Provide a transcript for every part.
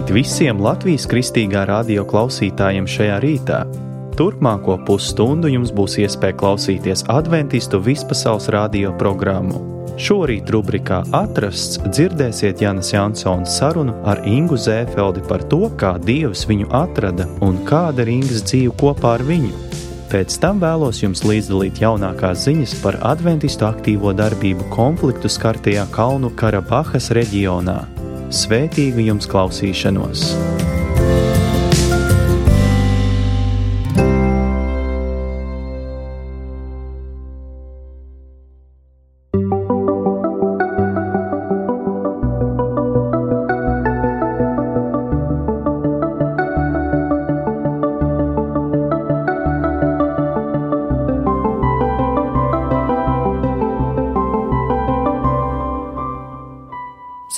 Labrīt visiem Latvijas kristīgā radio klausītājiem šajā rītā. Turpmāko pusstundu jums būs iespēja klausīties adventistu vispasaules radio programmu. Šorīt rubrikā Atrasts dzirdēsiet Janas Jansons sarunu ar Ingu Zēfeldi par to, kā Dievs viņu atrada un kāda ir Ingas dzīve kopā ar viņu. Pēc tam vēlos jums līdzdalīt jaunākās ziņas par adventistu aktīvo darbību konfliktu skartajā Kalnu Karabahas reģionā. Svētīgu jums klausīšanos!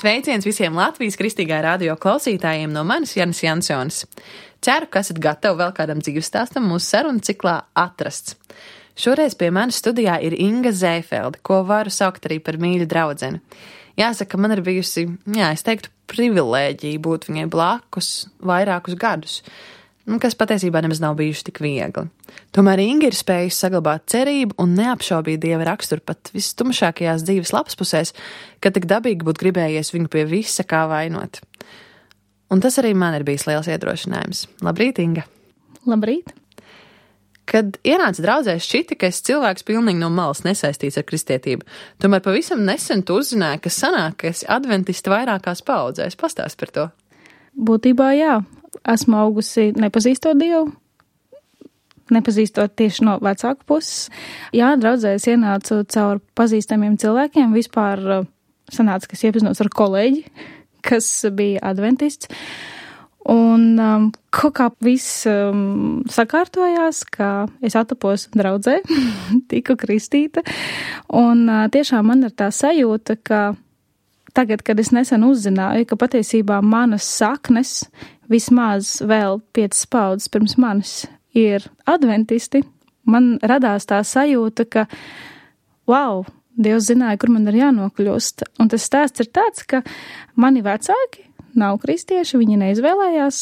Sveiciens visiem Latvijas kristīgā radio klausītājiem no manis Janas Jansons. Ceru, ka esat gatavi vēl kādam dzīvestāstam mūsu sarunu ciklā Atrasts. Šoreiz pie manis studijā ir Inga Zēfelde, ko varu saukt arī par mīļu draudzeni. Jāsaka, man ir bijusi, es teiktu, privilēģija būt viņai blakus vairākus gadus, kas patiesībā nemaz nav bijuši tik viegli. Tomēr Inga ir spējusi saglabāt cerību un neapšaubīt Dieva raksturu pat vistumšākajās dzīves lapspusēs, kad tik dabīgi būtu gribējies viņu pie visa kā vainot. Un tas arī man ir bijis liels iedrošinājums. Labrīt, Inga! Labrīt! Kad ienāca draudzē, šķita, ka es cilvēks pilnīgi no malas nesaistīts ar kristietību. Tomēr pavisam nesen tu uzzināji, ka sanāk, ka esi adventisti vairākās paudzēs. Pastāst par to. Būtībā jā. Esmu augusi nepazīstot Dievu, nepazīstot tieši no vecāku puses. Jā, draudzēs ienācu caur pazīstamiem cilvēkiem. Vispār sanāca, ka es iepazinos ar kolēģi, kas bija adventists. Un kaut kā viss sakārtojās, ka es atapos draudzē, tiku kristīta. Un tiešām man ir tā sajūta, ka tagad, kad es nesen uzzināju, ka patiesībā manas saknes vismaz vēl 5 paudzes pirms manis ir adventisti, man radās tā sajūta, ka, wow, Dievs zināja, kur man ir jānokļūst. Un tas stāsts ir tāds, ka mani vecāki nav kristieši, viņi neizvēlējās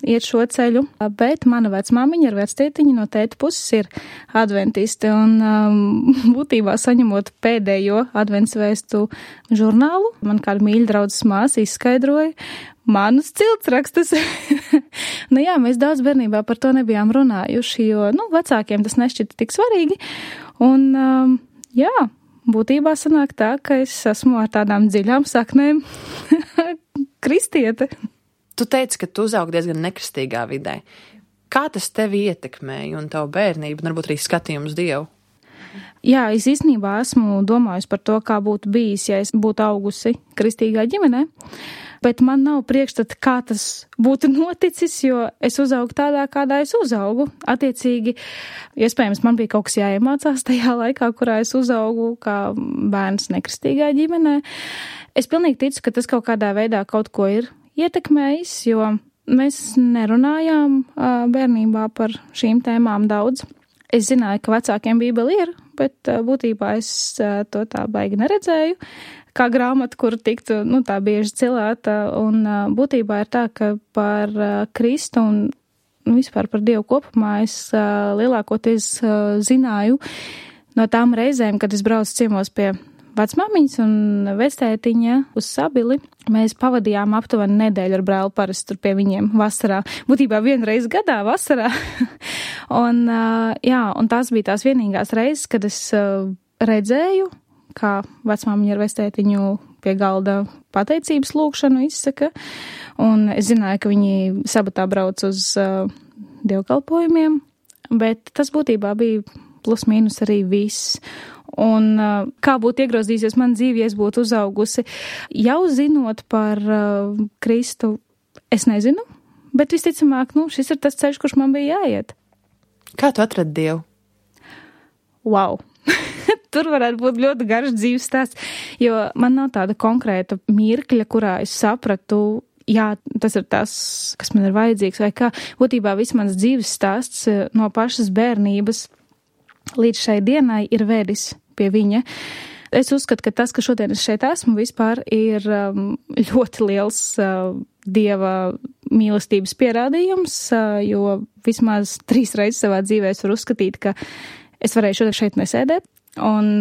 iet šo ceļu, bet mana vecmāmiņa ar vectētiņu no tēta puses ir adventisti. Un būtībā saņemot pēdējo adventsvēstu žurnālu, man kāda mīļa draudzes māsa izskaidroja manus ciltsrakstus. Mēs daudz bērnībā par to nebijām runājuši, jo, vecākiem tas nešķita tik svarīgi. Un, būtībā sanāk tā, ka es esmu ar tādām dziļām saknēm kristiete. Tu teici, ka tu uzaugi diezgan nekristīgā vidē. Kā tas tevi ietekmēja un tavu bērnību, un varbūt arī skatījumu uz Dievu? Jā, es īstenībā esmu domājusi par to, kā būtu bijis, ja es būtu augusi kristīgā ģimenē, bet man nav priekšstata, kā tas būtu noticis, jo es uzaugu tādā, kādā es uzaugu. Attiecīgi, iespējams, man bija kaut kas jāiemācās tajā laikā, kurā es uzaugu kā bērns nekristīgā ģimenē. Es pilnīgi ticu, ka tas kaut kādā veidā kaut ko ir ietekmējis, jo mēs nerunājām bērnībā par šīm tēmām daudz. Es zināju, ka vecākiem Bībeli ir, bet būtībā es to tā baigi neredzēju, kā grāmatu, kuru tiktu, tā bieži cilēta, un būtībā ir tā, ka par Kristu un vispār par Dievu kopumā es lielākoties zināju no tām reizēm, kad es braucu ciemos pie vecmāmiņas un vectētiņa uz Sabili. Mēs pavadījām aptuveni nedēļu ar brāli parasti tur pie viņiem vasarā. Būtībā vienreiz gadā vasarā. un tās bija tās vienīgās reizes, kad es redzēju, kā vecmāmiņa ar vectētiņu pie galda pateicības lūgšanu izsaka. Un es zināju, ka viņi sabatā brauc uz dievkalpojumiem, bet tas būtībā bija plus mīnus arī viss. Un kā būtu iegrozījusies man dzīve, ja es būtu uzaugusi, jau zinot par Kristu, es nezinu, bet visticamāk, šis ir tas ceļš, kurš man bija jāiet. Kā tu atradi Dievu? Wow! Tur varētu būt ļoti garš dzīves stāsts, jo man nav tāda konkrēta mirkļa, kurā es sapratu, tas ir tas, kas man ir vajadzīgs, vai kā. Būtībā viss mans dzīves stāsts no pašas bērnības līdz šai dienai ir vedis pie viņa. Es uzskatu, ka tas, ka šodien es šeit esmu, vispār ir ļoti liels Dieva mīlestības pierādījums, jo vismaz 3 reizes savā dzīvē es varu uzskatīt, ka es varēju šodien šeit nesēdēt. Un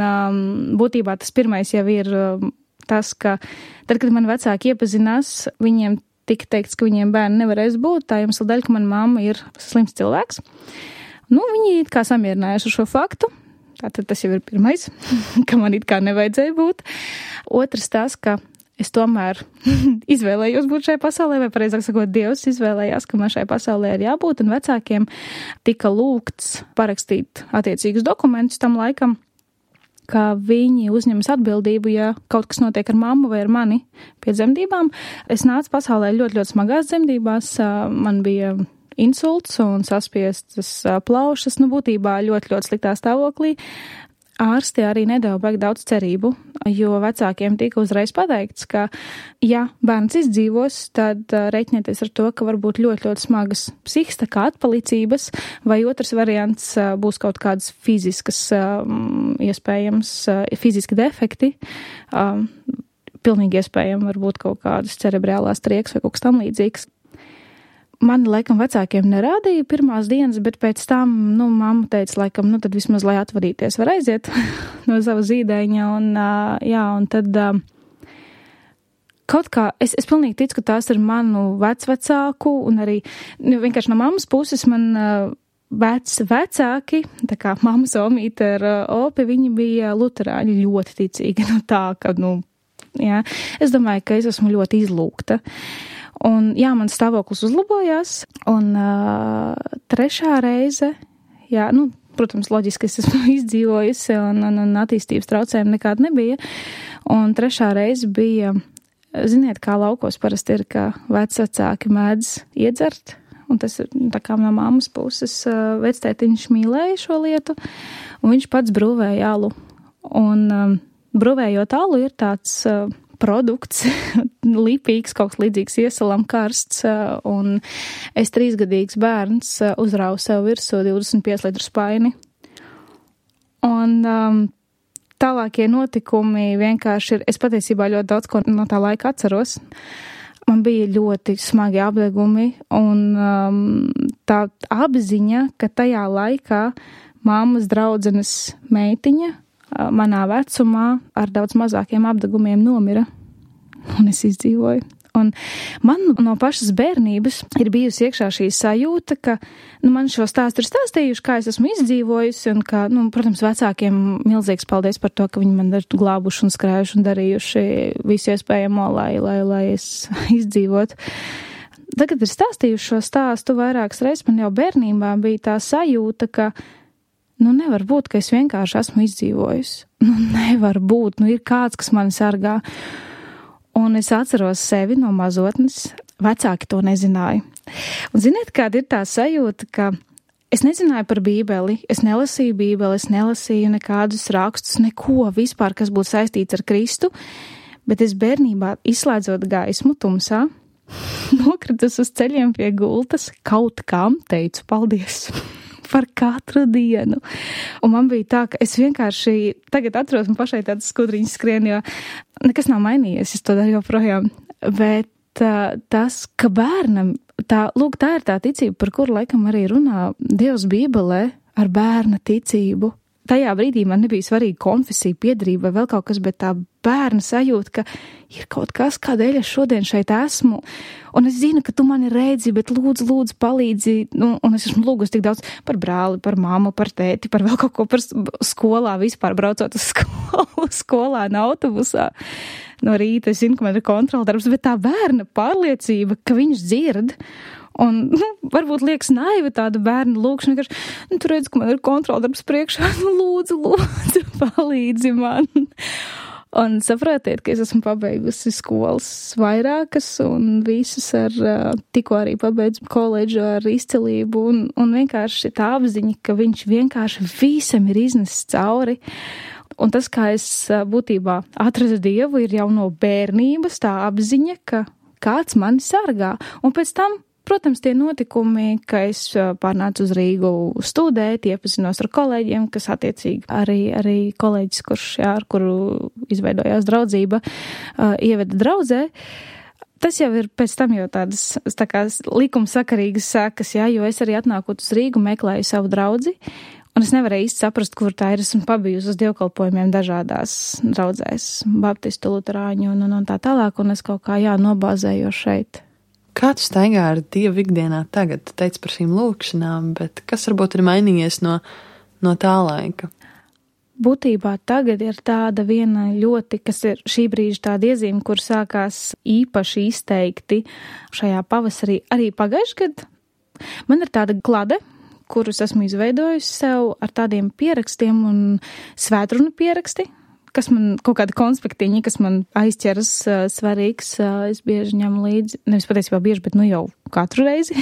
būtībā tas pirmais jau ir tas, ka tad, kad mani vecāki iepazinās, viņiem tika teikts, ka viņiem bērni nevarēs būt, tā iemesla dēļ, ka mana mamma ir slims cilvēks. Viņi it kā samierinājuši ar šo faktu. Tātad tas jau ir pirmais, ka man it kā nevajadzēja būt. Otrs tas, ka es tomēr izvēlējos būt šajā pasaulē, vai pareizāk sakot, Dievs izvēlējās, ka man šajā pasaulē ir jābūt, un vecākiem tika lūgts parakstīt attiecīgus dokumentus tam laikam, ka viņi uzņemas atbildību, ja kaut kas notiek ar mammu vai ar mani pie dzemdībām. Es nācu pasaulē ļoti, ļoti smagās dzemdībās. Man bija insults un saspiestas plaušas, būtībā ļoti, ļoti sliktā stāvoklī. Ārsti arī nedeva baigi daudz cerību, jo vecākiem tika uzreiz pateikts, ka, ja bērns izdzīvos, tad reiķinieties ar to, ka var būt ļoti, ļoti smagas psihikas, tā kā atpalicības, vai otrs variants būs kaut kādas fiziskas, iespējams, fiziski defekti, pilnīgi iespējami varbūt kaut kādas cerebrālās trieks vai kaut kas tam līdzīgs. Mani, laikam, vecākiem nerādīja pirmās dienas, bet pēc tam, mamma teica, laikam, tad vismaz, lai atvadīties, var aiziet no sava zīdaiņa, un tad kaut kā, es pilnīgi ticu, ka tās ir manu vecvecāku, un arī, vienkārši no mammas puses man vecāki, tā kā mammas omīte ar opi, viņi bija luterāņi ļoti ticīgi, es domāju, ka es esmu ļoti izlūgta. Un, mans stāvoklis uzlabojās, un 3. reize, protams, loģiski es esmu izdzīvojusi, un attīstības traucējumi nekāda nebija, un 3. reize bija, ziniet, kā laukos parasti ir, ka vecvecāki mēdz iedzert, un tas ir tā kā no mammas puses vectētiņš mīlēja šo lietu, un viņš pats brūvēja alu, un brūvējot alu ir tāds produkts, lipīgs, kaut kas līdzīgs iesalam karsts, un es 3-gadīgs bērns uzrauju sev virsū 25 litru spaini. Un tālākie notikumi vienkārši ir, es patiesībā ļoti daudz ko no tā laika atceros. Man bija ļoti smagi apdegumi, un tā apziņa, ka tajā laikā mammas draudzenes meitiņa manā vecumā ar daudz mazākiem apdegumiem nomira, un es izdzīvoju. Un man no pašas bērnības ir bijusi iekšā šī sajūta, ka man šo stāstu ir stāstījuši, kā es esmu izdzīvojusi, un ka, protams, vecākiem milzīgs paldies par to, ka viņi man ir glābuši un skrējuši un darījuši visu iespējamo, lai es izdzīvotu. Tagad ir stāstījuši šo stāstu vairākas reizes, man jau bērnībā bija tā sajūta, ka nevar būt, ka es vienkārši esmu izdzīvojusi. Nevar būt, ir kāds, kas mani sargā. Un es atceros sevi no mazotnes, vecāki to nezināja. Un ziniet, kāda ir tā sajūta, ka es nezināju par Bībeli, es nelasīju Bībeli, es nelasīju nekādus rakstus, neko vispār, kas būtu saistīts ar Kristu, bet es bērnībā, izslēdzot gaismu tumsā, nokritus uz ceļiem pie gultas, kaut kam teicu paldies par katru dienu. Un man bija tā, ka es vienkārši tagad atceros, man pašai tādas skudriņas skrien, jo nekas nav mainījies, es to daru joprojām. Bet tas, ka bērnam, tā ir tā ticība, par kuru laikam arī runā Dievs Bībelē ar bērna ticību. Tajā brīdī man nebija svarīga konfesija, piederība vai vēl kaut kas, bet tā bērna sajūta, ka ir kaut kas, kādēļ es šodien šeit esmu, un es zinu, ka tu mani redzi, bet lūdzu palīdzi, un es esmu lūgusi tik daudz par brāli, par mammu, par tēti, par vēl kaut ko, par skolā vispār braucot uz skolu, skolā un autobusā. No rīta es zinu, ka man ir kontroldarbs, bet tā bērna pārliecība, ka viņš dzird, un, varbūt liekas naiva tāda bērna lūkšana, ka, tu redz, ka man ir kontroldarbs priekšā, lūdzu, palīdzi man. Un saprotiet, ka es esmu pabeigusi skolas vairākas, un visas tikko arī pabeidzu koledžu ar izcilību, un vienkārši tā apziņa, ka viņš vienkārši visam ir iznesis cauri. Un tas, kā es būtībā atradu Dievu, ir jau no bērnības tā apziņa, ka kāds mani sargā. Un pēc tam protams, tie notikumi, ka es pārnācu uz Rīgu studēt, iepazinos ar kolēģiem, kas attiecīgi arī kolēģis, ar kuru izveidojās draudzība, ieveda draudzē. Tas jau ir pēc tam jau tādas tā kā likumsakarīgas sekas, jā, jo es arī atnākot uz Rīgu meklēju savu draudzi, un es nevarēju īsti saprast, kur tā ir. Esmu pabijusi uz dievkalpojumiem dažādās draudzēs, baptistu, luterāņu un tā tālāk, un es kaut kā, nobāzēju šeit. Kā tu staigā ar Dievu ikdienā tagad? Tu teici par šīm lūkšanām, bet kas varbūt ir mainījies no tā laika? Būtībā tagad ir tāda viena ļoti, kas ir šī brīža tāda iezīme, kur sākās īpaši izteikti šajā pavasarī, arī pagājušajā gadā. Man ir tāda klade, kurus esmu izveidojusi sev ar tādiem pierakstiem un svētrunu pieraksti, kas man kaut kāda konspektiņa, kas man aizķeras svarīgs, es bieži ņemu līdzi, nevis patiesībā bieži, bet jau katru reizi,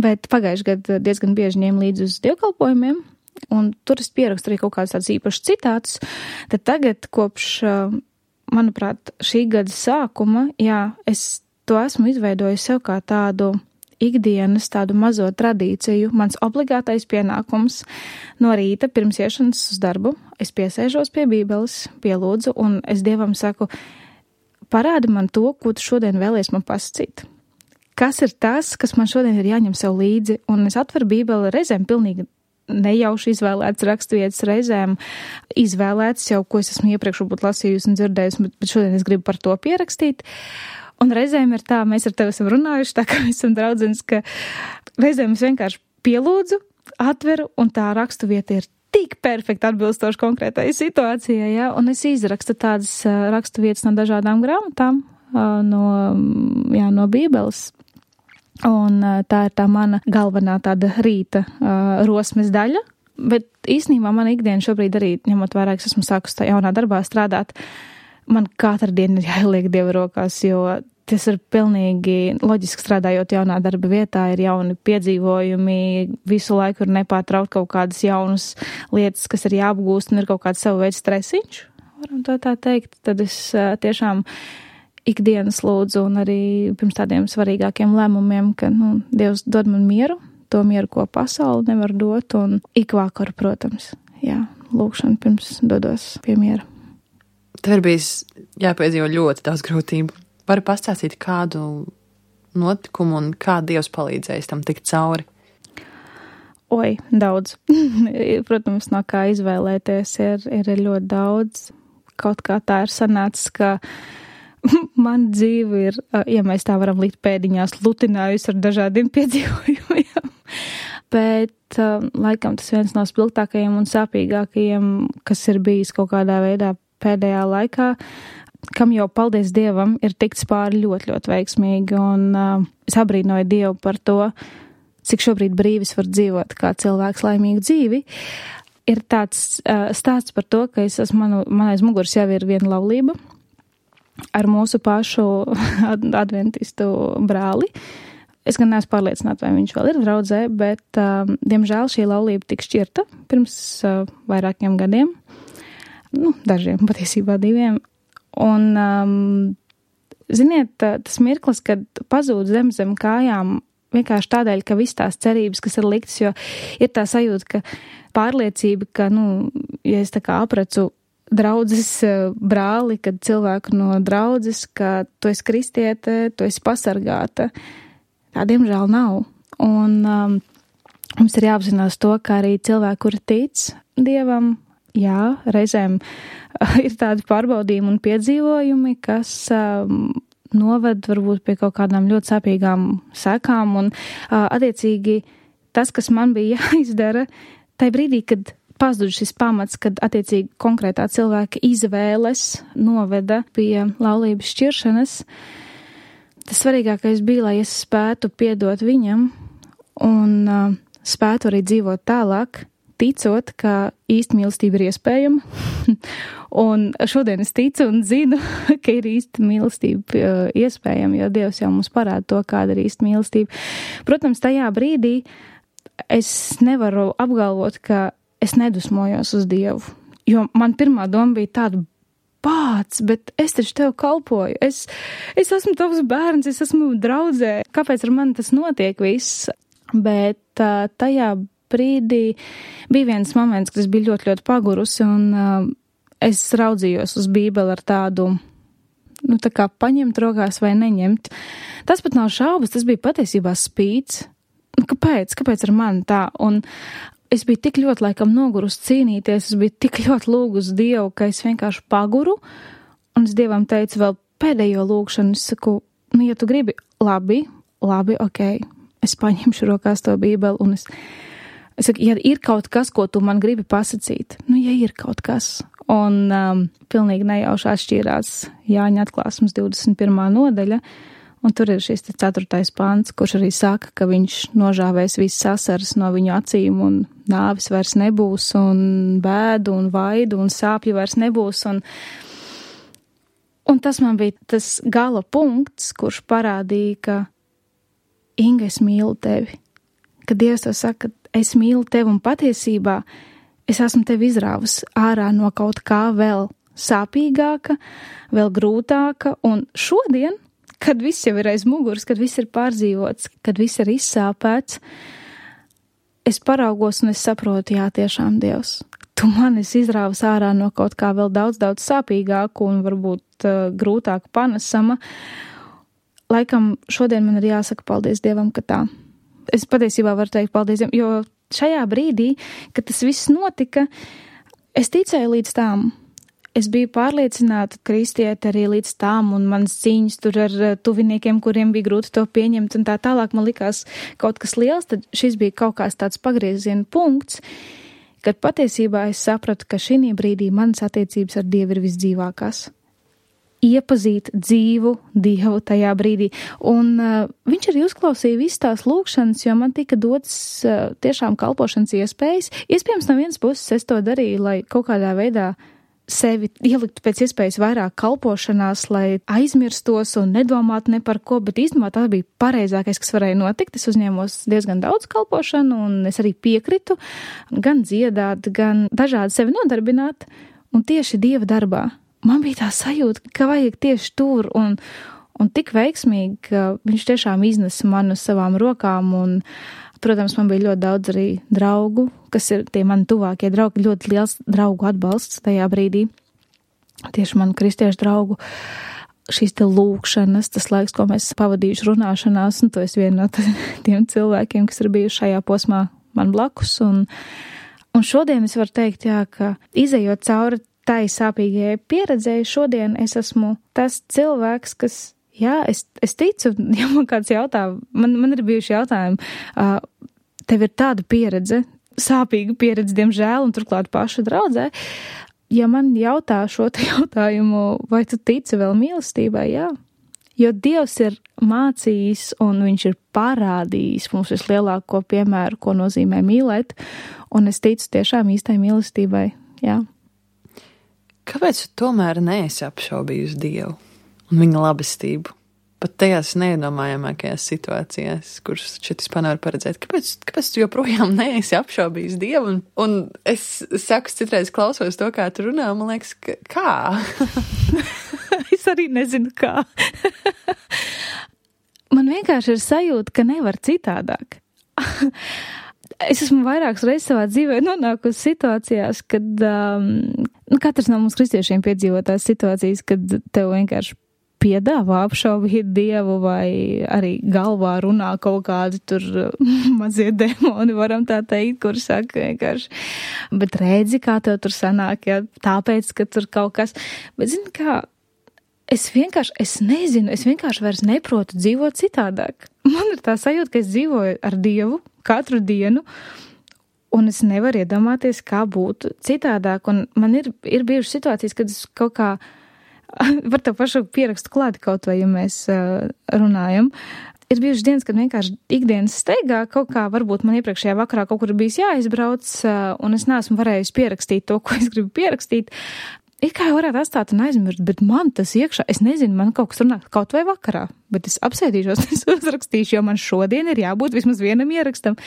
bet pagājušajā gadā diezgan bieži ņēmu līdzi uz dievkalpojumiem, un tur es pierakstu arī kaut kādus tādus īpašus citātus, tad tagad kopš, manuprāt, šī gada sākuma, es to esmu izveidojusi sev kā tādu ikdienas tādu mazo tradīciju, mans obligātais pienākums no rīta pirms iešanas uz darbu. Es piesēžos pie Bībeles, pielūdzu, un es Dievam saku, parādi man to, ko tu šodien vēlies man pasakīt. Kas ir tas, kas man šodien ir jāņem sev līdzi, un es atveru Bībeli reizēm pilnīgi nejauši izvēlēts raksturvietas, reizēm izvēlēts jau, ko es esmu iepriekš būt lasījusi un dzirdējusi, bet šodien es gribu par to pierakstīt. Un reizēm ir tā, mēs ar tevi esam runājuši, tā kā mēs esam draudzenes, ka reizēm es vienkārši pielūdzu, atveru, un tā rakstuvieta ir tik perfekti atbilstoši konkrētai situācijai, ja? Un es izrakstu tādas raksturvietas no dažādām grāmatām, no Bībeles. Un tā ir tā mana galvenā tāda rīta rosmes daļa, bet īstenībā mana ikdiena šobrīd arī, ņemot vērā, ka esmu sākus tā jaunā darbā strādāt, man katru dienu ir jāieliek Dieva rokās, jo tas ir pilnīgi loģiski strādājot jaunā darba vietā, ir jauni piedzīvojumi, visu laiku ir nepārtraukt kaut kādas jaunas lietas, kas ir jāapgūst, un ir kaut kāds savu veidu stresiņš, varam to tā teikt. Tad es tiešām ikdienas lūdzu, un arī pirms tādiem svarīgākiem lēmumiem, ka Dievs dod man mieru, to mieru, ko pasauli nevar dot, un ik vakaru, protams, lūkšana pirms dodos pie miera. Tev ir bijis jāpiedzīvo ļoti daudz grūtību. Vari pastāstīt kādu notikumu un kā Dievs palīdzējis tam tikt cauri? Oi, daudz. Protams, no kā izvēlēties ir ļoti daudz. Kaut kā tā ir sanācis, ka man dzīve ir, ja mēs tā varam likt pēdiņās, lutinājusi ar dažādiem piedzīvojumiem. Bet laikam tas viens no spilgtākajiem un sāpīgākajiem, kas ir bijis kaut kādā veidā pēdējā laikā, kam jau, paldies Dievam, ir tikts pāri ļoti, ļoti veiksmīgi, un es abrīnoju Dievu par to, cik šobrīd brīvis var dzīvot kā cilvēks laimīgu dzīvi. Ir tāds stāsts par to, ka man aiz muguras jau ir viena laulība ar mūsu pašu adventistu brāli. Es gan neesmu pārliecināta, vai viņš vēl ir draudzē, bet, diemžēl, šī laulība tika šķirta pirms vairākiem gadiem. Dažiem, patiesībā 2. Un, ziniet, tas mirklis, kad pazūd zem kājām, vienkārši tādēļ, ka viss tās cerības, kas ir liktas, jo ir tā sajūta, ka pārliecība, ka, ja es tā kā apracu draudzes brāli, kad cilvēku no draudzes, ka tu esi kristiete, tu esi pasargāta, tā diemžēl nav. Un mums ir jāapzinās to, ka arī cilvēki, kuri tic Dievam, reizēm ir tādi pārbaudījumi un piedzīvojumi, kas noved varbūt pie kaut kādām ļoti sāpīgām sekām, un attiecīgi tas, kas man bija jāizdara, tai brīdī, kad pazud šis pamats, kad attiecīgi konkrētā cilvēka izvēles noveda pie laulības šķiršanas, tas svarīgākais bija, lai es spētu piedot viņam un spētu arī dzīvot tālāk, ticot, ka īsta mīlestība ir iespējama. Un šodien es ticu un zinu, ka ir īsta mīlestība iespējama, jo Dievs jau mums parāda to, kāda ir īsta mīlestība. Protams, tajā brīdī es nevaru apgalvot, ka es nedusmojos uz Dievu, jo man pirmā doma bija tāda, pāc, bet es taču tev kalpoju, es esmu tavs bērns, es esmu draudzē, kāpēc ar mani tas notiek viss? Bet tajā brīdī bija viens moments, kad es biju ļoti, ļoti pagurusi, un es raudzījos uz Bībeli ar tādu, tā kā paņemt rokās vai neņemt. Tas pat nav šaubas, tas bija patiesībā spīts. Kāpēc ar mani tā? Un es biju tik ļoti laikam nogurus cīnīties, es biju tik ļoti lūgus Dievu, ka es vienkārši paguru, un es Dievam teicu vēl pēdējo lūgšanu, es saku, ja tu gribi, labi, ok, es paņemšu rokās to Bībeli, un es saku, ja ir kaut kas, ko tu man gribi pasacīt, ja ir kaut kas, un pilnīgi nejauši atšķīrās Jāņa atklāsmes 21. nodaļa, un tur ir šis 4. pants, kurš arī saka, ka viņš nožāvēs visas asaras no viņu acīm, un nāvis vairs nebūs, un bēdu, un vaidu, un sāpju vairs nebūs, un tas man bija tas gala punkts, kurš parādīja, ka Inga, es mīlu tevi, ka Dievs tev saka, es mīlu tevi, un patiesībā es esmu tevi izrāvus ārā no kaut kā vēl sāpīgāka, vēl grūtāka, un šodien, kad viss jau ir aiz muguras, kad viss ir pārdzīvots, kad viss ir izsāpēts, es paraugos un es saprotu, jā, tiešām Dievs, tu mani izrāvus ārā no kaut kā vēl daudz, daudz sāpīgāku un varbūt grūtāk panesama. Laikam šodien man ir jāsaka paldies Dievam, ka tā. Es patiesībā varu teikt paldies Dievam, jo šajā brīdī, kad tas viss notika, es ticēju līdz tām. Es biju pārliecināta kristieti arī līdz tām, un manas cīņas tur ar tuviniekiem, kuriem bija grūti to pieņemt, un tā tālāk man likās kaut kas liels, tad šis bija kaut kāds tāds pagrieziena punkts, kad patiesībā es sapratu, ka šī brīdī manas attiecības ar Dievu ir visdzīvākās. Iepazīt dzīvu Dievu tajā brīdī, un viņš arī uzklausīja visas tās lūgšanas, jo man tika dots tiešām kalpošanas iespējas. Iespējams, no vienas puses es to darīju, lai kaut kādā veidā sevi ieliktu pēc iespējas vairāk kalpošanās, lai aizmirstos un nedomātu ne par ko, bet īstenībā tā bija pareizākais, kas varēja notikt. Es uzņēmos diezgan daudz kalpošanu, un es arī piekritu gan dziedāt, gan dažādi sevi nodarbināt, un tieši Dieva darbā. Man bija tā sajūta, ka vajag tieši tur, un tik veiksmīgi, ka viņš tiešām iznesa mani uz savām rokām, un, protams, man bija ļoti daudz arī draugu, kas ir tie mani tuvākie draugi, ļoti liels draugu atbalsts tajā brīdī. Tieši manu kristiešu draugu šīs te lūkšanas, tas laiks, ko mēs pavadījuši runāšanās, un to es vienu no tiem cilvēkiem, kas ir bijuši šajā posmā man blakus, un šodien es varu teikt, jā, ka izejot cauri tai sāpīgajai pieredzēji, šodien es esmu tas cilvēks, kas, jā, es ticu, ja man kāds jautā, man ir bijuši jautājumi, tev ir tāda pieredze, sāpīga pieredze, diemžēl, un turklāt paša draudzē, ja man jautā šo te jautājumu, vai tu tici vēl mīlestībai, jā, jo Dievs ir mācījis, un viņš ir parādījis mums vislielāko piemēru, ko nozīmē mīlēt, un es ticu tiešām īstai mīlestībai, jā. Kāpēc tu tomēr neesi apšaubījusi Dievu un viņa labestību? Pat tajās neiedomājamākajās situācijās, kuras šeit vispār nevar paredzēt. Kāpēc tu joprojām neesi apšaubījis Dievu? Un es saku, citreiz klausos to, kā tu runā, man liekas, kā? Es arī nezinu, kā. Man vienkārši ir sajūta, ka nevar citādāk. Es esmu vairākas reizes savā dzīvē nonākusi situācijās, kad katrs no mums kristiešiem piedzīvotās situācijas, kad tev vienkārši piedāvā apšaubīt Dievu vai arī galvā runā kaut kādi tur mazie demoni, varam tā teikt, kur saka vienkārši, bet redzi, kā tev tur sanāk, ja, tāpēc, ka tur kaut kas, bet zini kā, es vienkārši vairs neprotu dzīvot citādāk. Man ir tā sajūta, ka es dzīvoju ar Dievu katru dienu, un es nevaru iedomāties, kā būtu citādāk, un man ir bijušas situācijas, kad es kaut kā var tev pašu pierakstu klāti kaut vai, ja mēs runājam. Ir bijušas dienas, kad vienkārši ikdienas steigā kaut kā, varbūt man iepriekšējā vakarā kaut kur bijis jāizbrauc, un es neesmu varējusi pierakstīt to, ko es gribu pierakstīt. Ir kā jau varētu atstāt un aizmirst, bet man tas iekšā, es nezinu, man kaut kas runā kaut vai vakarā, bet es apsēdīšos, es uzrakstīšu, jo man šodien ir jābūt vismaz vienam ierakstam.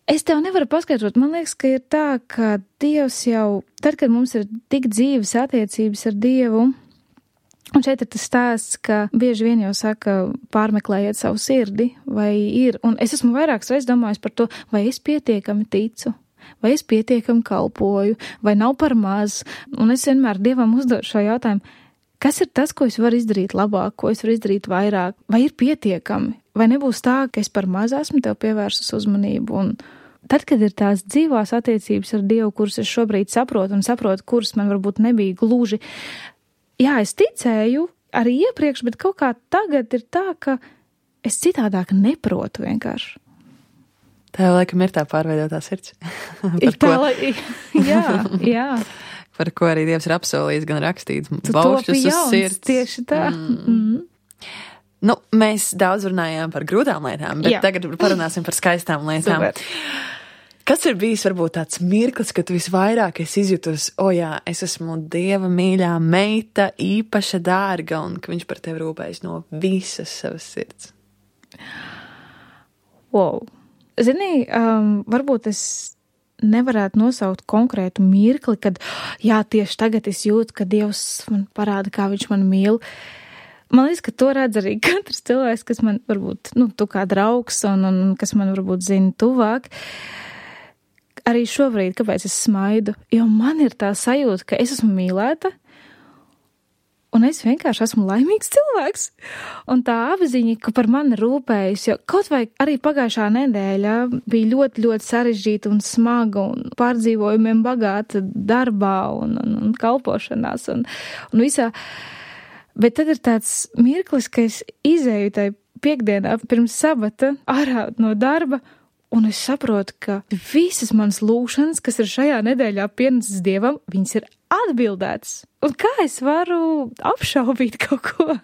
Es tev nevaru paskaidrot, man liekas, ka ir tā, ka Dievs jau tad, kad mums ir tik dzīves attiecības ar Dievu, un šeit ir tas stāsts, ka bieži vien jau saka, pārmeklējiet savu sirdi, vai ir, un es esmu vairākas reizes domājis par to, vai es pietiekami ticu, vai es pietiekami kalpoju, vai nav par maz, un es vienmēr Dievam uzdodu šo jautājumu, kas ir tas, ko es varu izdarīt labāk, ko es varu izdarīt vairāk, vai ir pietiekami, vai nebūs tā, ka es par maz esmu tev pievērsus uzmanību, un tad, kad ir tās dzīvās attiecības ar Dievu, kuras es šobrīd saprotu, kuras man varbūt nebija gluži, jā, es ticēju arī iepriekš, bet kaut kā tagad ir tā, ka es citādāk neprotu vienkārši. Tā jau laikam ir tā pārveidotā sirds. Jā. Par ko arī Dievs ir apsolījis, gan rakstīts, baušļus uz sirds. Tieši tā. Nu, mēs daudz runājām par grūtām lietām, bet tagad parunāsim par skaistām lietām. Super. Kas ir bijis varbūt tāds mirklis, ka tu visvairāk esi izjutus, es esmu Dieva mīļā meita, īpaša dārga, un ka viņš par tevi rūpējas no visas savas sirds? Wow. Zini, varbūt es nevarētu nosaukt konkrētu mirkli, kad, tieši tagad es jūtu, ka Dievs man parāda, kā viņš man mīl. Man liekas, ka to redz arī katrs cilvēks, kas man varbūt, tu kā draugs un kas man varbūt zina tuvāk. Arī šobrīd, kāpēc es smaidu, jo man ir tā sajūta, ka es esmu mīlēta, un es vienkārši esmu laimīgs cilvēks. Un tā apziņa, ka par mani rūpējas, jo kaut vai arī pagājušā nedēļa bija ļoti, ļoti sarežģīta un smaga un pārdzīvojumiem bagāta darbā un kalpošanās un visā. Bet tad ir tāds mirklis, ka es izēju tai piekdienā pirms sabata ārā no darba, un es saprotu, ka visas manas lūgšanas, kas ir šajā nedēļā pienestas Dievam, viņas ir atbildētas. Un kā es varu apšaubīt kaut ko?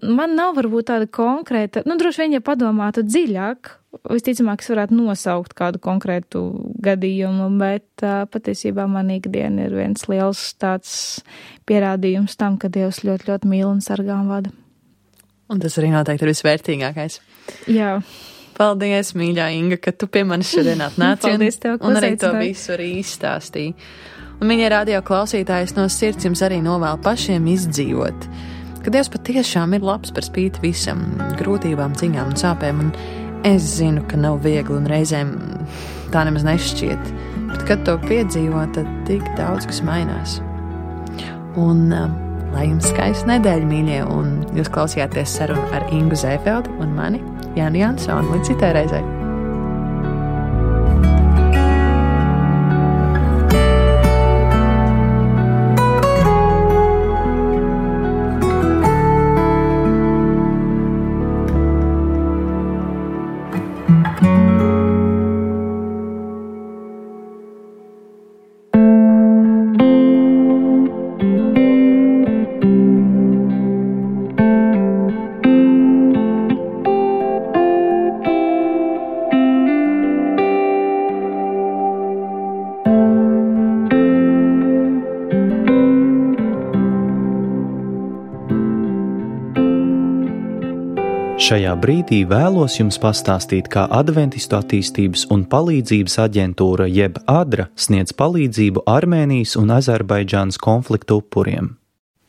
Man nav varbūt tāda konkrēta, droši vien, ja padomātu dziļāk, visticamāk, es varētu nosaukt kādu konkrētu gadījumu, bet patiesībā man ikdiena ir viens liels tāds pierādījums tam, ka Dievs ļoti, ļoti mīl un sargā un vada. Un tas arī noteikti ir visvērtīgākais. Jā. Paldies, mīļā Inga, ka tu pie manis šodien atnāci un arī to visu arī izstāstīji. Un, mīļie radio klausītājs, no sirds jums arī novēl pašiem izdzīvot, ka Dievs patiešām ir labs par spīti visam, grūtībām, ciņām un sāpēm, un es zinu, ka nav viegli un reizēm tā nemaz nešķiet, bet kad to piedzīvo, tad tik daudz, kas mainās. Un lai jums skaista nedēļa, mīļie, un jūs klausījāties sarunu ar Ingu Zēfeldi un mani, Jāni Jansoni. Līdz citai reizei. Šajā brīdī vēlos jums pastāstīt, kā Adventistu attīstības un palīdzības aģentūra jeb ADRA sniedz palīdzību Armēnijas un Azerbaidžānas konfliktu upuriem.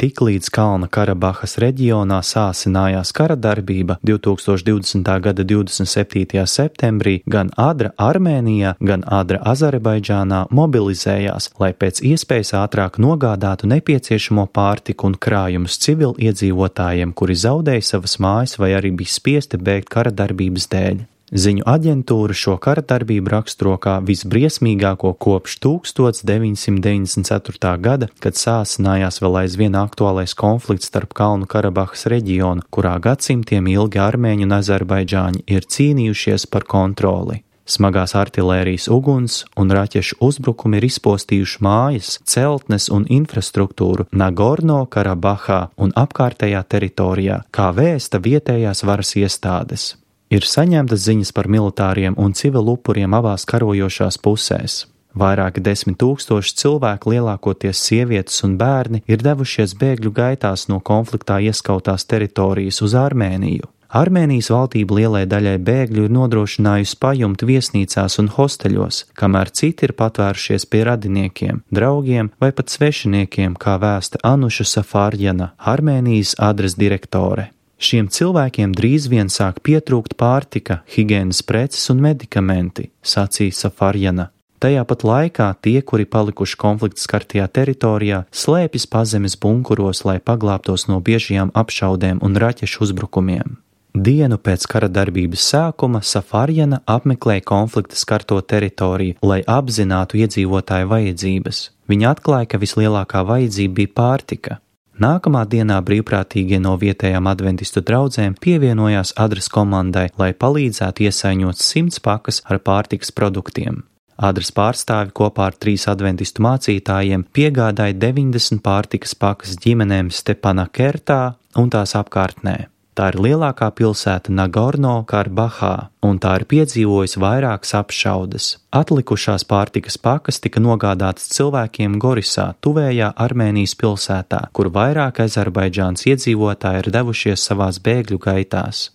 Tiklīdz Kalnu Karabahas reģionā sāsinājās kara darbība 2020. gada 27. septembrī, gan ADRA Armēnijā, gan ADRA Azerbaidžānā mobilizējās, lai pēc iespējas ātrāk nogādātu nepieciešamo pārtiku un krājumus civiliedzīvotājiem, kuri zaudēja savas mājas vai arī bija spiesti bēgt kara darbības dēļ. Ziņu aģentūra šo kara darbību raksturo kā visbriesmīgāko kopš 1994. gada, kad sāsinājās vēl aizvien aktuālais konflikts starp Kalnu Karabahas reģionu, kurā gadsimtiem ilgi armēņi un azerbaidžāņi ir cīnījušies par kontroli. Smagās artilērijas uguns un raķešu uzbrukumi ir izpostījuši mājas, celtnes un infrastruktūru Nagorno Karabahā un apkārtējā teritorijā, kā vēsta vietējās varas iestādes. Ir saņemtas ziņas par militāriem un civilu upuriem abās karojošās pusēs. Vairāki 10 000 cilvēku, lielākoties sievietes un bērni, ir devušies bēgļu gaitās no konfliktā ieskautās teritorijas uz Armēniju. Armēnijas valdība lielai daļai bēgļu ir nodrošinājusi pajumt viesnīcās un hosteļos, kamēr citi ir patvērušies pie radiniekiem, draugiem vai pat svešiniekiem, kā vēsta Anuša Safarjana, Armēnijas adres direktore. Šiem cilvēkiem drīz vien sāk pietrūkt pārtika, higienas preces un medikamenti, sacīja Safarjana. Tajā pat laikā tie, kuri palikuši konflikta skartajā teritorijā, slēpjas pazemes bunkuros, lai paglābtos no biežajām apšaudēm un raķešu uzbrukumiem. Dienu pēc kara darbības sākuma Safarjana apmeklēja konflikta skarto teritoriju, lai apzinātu iedzīvotāju vajadzības. Viņa atklāja, ka vislielākā vajadzība bija pārtika. Nākamā dienā brīvprātīgie no vietējām adventistu draudzēm pievienojās adres komandai, lai palīdzētu iesaiņot 100 pakas ar pārtikas produktiem. Adres pārstāvi kopā ar 3 adventistu mācītājiem piegādāja 90 pārtikas pakas ģimenēm Stepanakertā un tās apkārtnē. Tā ir lielākā pilsēta Nagorno-Karabahā, un tā ir piedzīvojusi vairākas apšaudes. Atlikušās pārtikas pakas tika nogādātas cilvēkiem Gorisā, tuvējā Armēnijas pilsētā, kur vairāk Azerbaidžānas iedzīvotāji ir devušies savās bēgļu gaitās.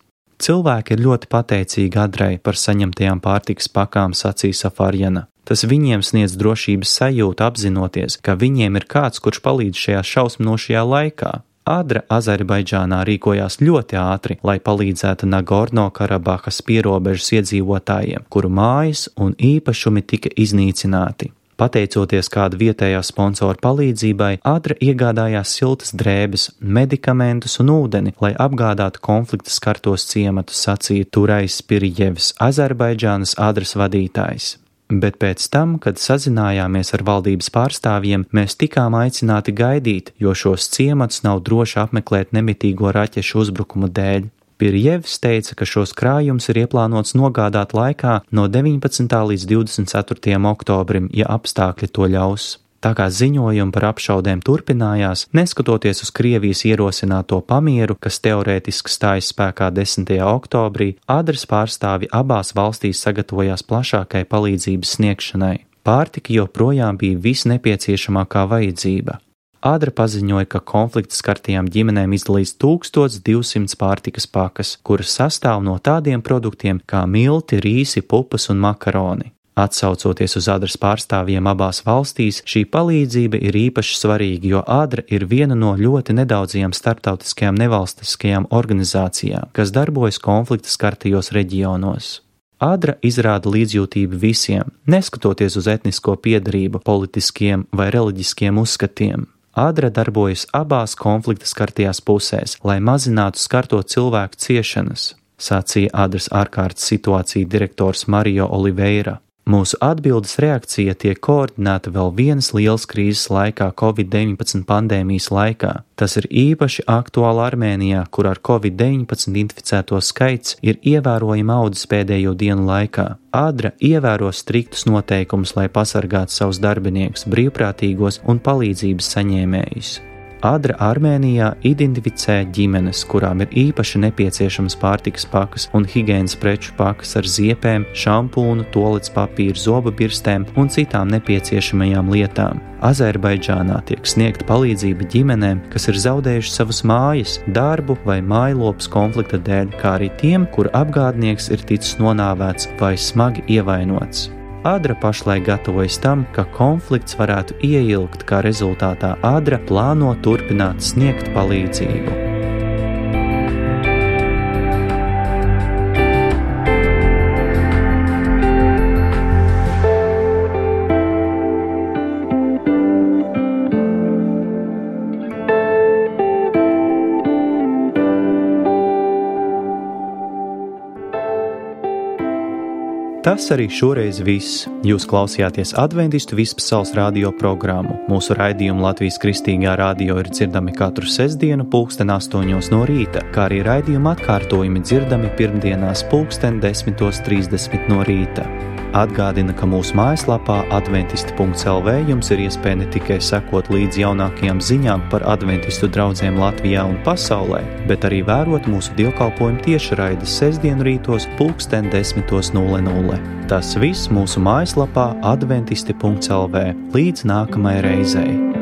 Cilvēki ir ļoti pateicīgi Adrei par saņemtajām pārtikas pakām, sacīja Safarjana. Tas viņiem sniedz drošības sajūtu apzinoties, ka viņiem ir kāds, kurš palīdz šajā šausminošajā laikā. Adra Azerbaidžānā rīkojās ļoti ātri, lai palīdzētu Nagorno-Karabahas pierobežas iedzīvotājiem, kuru mājas un īpašumi tika iznīcināti. Pateicoties kāda vietējā sponsora palīdzībai, Adra iegādājās siltas drēbes, medikamentus un ūdeni, lai apgādātu konflikta skartos ciematus, sacīja Turais Pirjevs, Azerbaidžānas Adras vadītājs. Bet pēc tam, kad sazinājāmies ar valdības pārstāvjiem, mēs tikām aicināti gaidīt, jo šos ciematus nav droši apmeklēt nemitīgo raķešu uzbrukumu dēļ. Pirjevs teica, ka šos krājumus ir ieplānots nogādāt laikā no 19. līdz 24. oktobrim, ja apstākļi to ļaus. Tā kā ziņojumi par apšaudēm turpinājās, neskatoties uz Krievijas ierosināto pamieru, kas teorētiski stājas spēkā 10. oktobrī, Adras pārstāvi abās valstīs sagatavojās plašākai palīdzības sniegšanai. Pārtika joprojām bija visnepieciešamākā vajadzība. Adra paziņoja, ka konflikta skartajām ģimenēm izdalīs 1200 pārtikas pakas, kuras sastāv no tādiem produktiem kā milti, rīsi, pupas un makaroni. Atsaucoties uz Adras pārstāvjiem abās valstīs, šī palīdzība ir īpaši svarīga, jo Adra ir viena no ļoti nedaudzajām starptautiskajām nevalstiskajām organizācijām, kas darbojas konflikta skartajos reģionos. Adra izrāda līdzjūtību visiem, neskatoties uz etnisko piedarību, politiskiem vai reliģiskiem uzskatiem. Adra darbojas abās konflikta skartajās pusēs, lai mazinātu skarto cilvēku ciešanas, sacīja Adras ārkārtas situāciju direktors Mario Oliveira. Mūsu atbildes reakcija tiek koordinēta vēl vienas lielas krīzes laikā Covid-19 pandēmijas laikā. Tas ir īpaši aktuāli Armēnijā, kur ar Covid-19 inficēto skaits ir ievērojami audzis pēdējo dienu laikā. Adra ievēro striktus noteikumus, lai pasargātu savus darbiniekus, brīvprātīgos un palīdzības saņēmējus. Adra Armēnijā identificē ģimenes, kurām ir īpaši nepieciešams pārtikas pakas un higienas preču pakas ar ziepēm, šampūnu, tualets papīru, zoba birstēm un citām nepieciešamajām lietām. Azerbaidžānā tiek sniegta palīdzība ģimenēm, kas ir zaudējuši savas mājas, darbu vai mājlopas konflikta dēļ, kā arī tiem, kuru apgādnieks ir ticis nonāvēts vai smagi ievainots. Adra pašlaik gatavojas tam, ka konflikts varētu ieilgt, kā rezultātā Adra plāno turpināt sniegt palīdzību. Tas arī šoreiz viss. Jūs klausījāties Adventistu vispasaules radio programmu. Mūsu raidījumi Latvijas Kristīgā radio ir dzirdami katru sestdienu 8:00 no rīta, kā arī raidījuma atkārtojumi dzirdami pirmdienās 10:30 no rīta. Atgādina, ka mūsu mājaslapā adventisti.lv jums ir iespēja ne tikai sekot līdz jaunākajām ziņām par adventistu draudzēm Latvijā un pasaulē, bet arī vērot mūsu dievkalpojumu tiešraides sestdienu rītos 10:00. Tas viss mūsu mājaslapā adventisti.lv. Līdz nākamajai reizei!